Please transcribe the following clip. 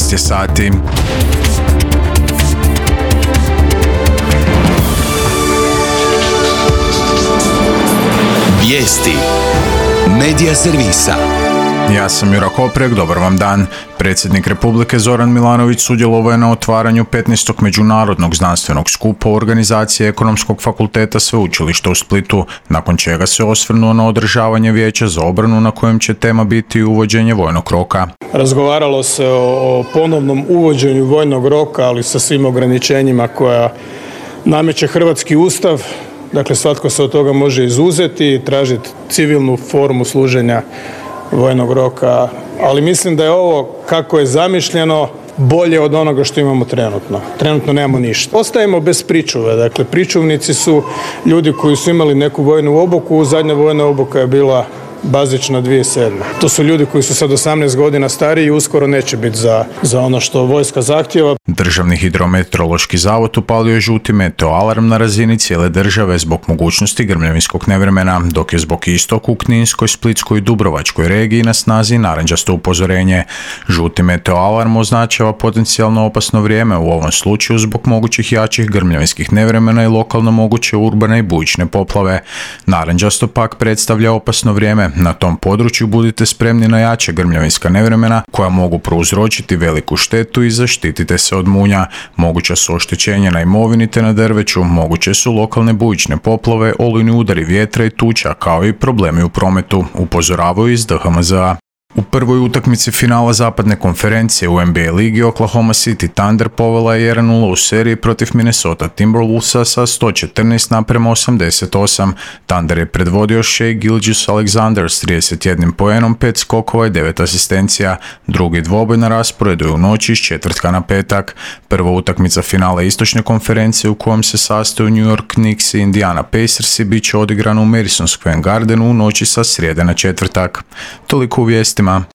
13 je sati. Vijesti Medija servisa. Ja sam Jura Koprek, dobar vam dan. Predsjednik Republike Zoran Milanović sudjelovao je na otvaranju 15. međunarodnog znanstvenog skupa organizacije Ekonomskog fakulteta Sveučilišta u Splitu, nakon čega se osvrnuo na održavanje vijeća za obranu na kojem će tema biti uvođenje vojnog roka. Razgovaralo se o ponovnom uvođenju vojnog roka, ali sa svim ograničenjima koja nameće hrvatski ustav. Dakle, svatko se od toga može izuzeti i tražiti civilnu formu služenja vojnog roka, ali mislim da je ovo kako je zamišljeno bolje od onoga što imamo trenutno. Trenutno nemamo ništa. Ostajemo bez pričuve, dakle pričuvnici su ljudi koji su imali neku vojnu obuku, zadnja vojna obuka je bila bazična 2007. To su ljudi koji su sad 18 godina stariji i uskoro neće biti za ono što vojska zahtjeva. Državni hidrometeorološki zavod upalio je žuti meteo alarm na razini cijele države zbog mogućnosti grmljavinskog nevremena, dok je zbog istog u Kninskoj, Splitskoj i Dubrovačkoj regiji na snazi narančasto upozorenje. Žuti meteo alarm označava potencijalno opasno vrijeme u ovom slučaju zbog mogućih jačih grmljavinskih nevremena i lokalno moguće urbane i bujične poplave. Narančasto pak predstavlja opasno vrijeme. Na tom području budite spremni na jače grmljavinska nevremena koja mogu prouzročiti veliku štetu i zaštitite se od munja. Moguća su oštećenja na imovini te na drveću, moguće su lokalne bujične poplave, olujni udari vjetra i tuča, kao i problemi u prometu, upozoravaju iz DHMZ-a. U prvoj utakmici finala zapadne konferencije u NBA ligi Oklahoma City Thunder povela je 1-0 u seriji protiv Minnesota Timberwolvesa sa 114:88. Thunder je predvodio Shai Gilgeous-Alexander s 31 poenom, 5 skokova i 9 asistencija. Drugi dvoboj na rasporedu je u noći iz četvrtka na petak. Prva utakmica finala istočne konferencije u kojem se sastaju New York Knicks i Indiana Pacersi bit će odigrana u Madison Square Gardenu u noći sa srijede na četvrtak. Toliko u vijestima.